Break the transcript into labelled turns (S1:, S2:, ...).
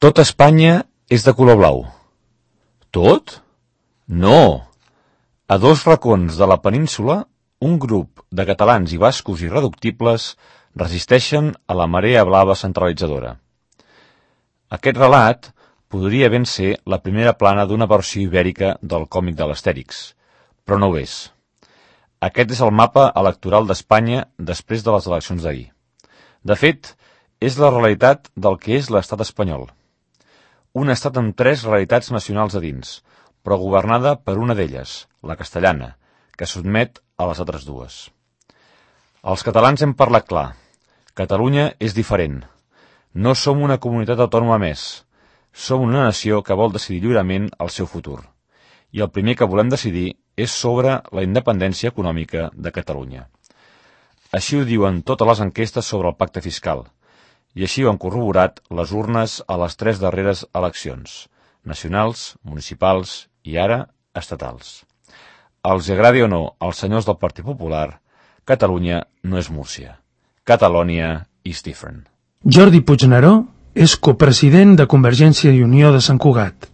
S1: Tota Espanya és de color blau. Tot? No! A dos racons de la península, un grup de catalans i bascos irreductibles resisteixen a la marea blava centralitzadora. Aquest relat podria ben ser la primera plana d'una versió ibèrica del còmic de l'Astèrix, però no ho és. Aquest és el mapa electoral d'Espanya després de les eleccions d'ahir. De fet, és la realitat del que és l'estat espanyol. Un estat amb tres realitats nacionals a dins, però governada per una d'elles, la castellana, que sotmet a les altres dues. Els catalans hem parlat clar. Catalunya és diferent. No som una comunitat autònoma més. Som una nació que vol decidir lliurement el seu futur. I el primer que volem decidir és sobre la independència econòmica de Catalunya. Així ho diuen totes les enquestes sobre el pacte fiscal, i així ho han corroborat les urnes a les tres darreres eleccions, nacionals, municipals i ara estatals. Els agradi o no als senyors del Partit Popular, Catalunya no és Múrcia. Catalonia is different.
S2: Jordi Puigneró és copresident de Convergència i Unió de Sant Cugat.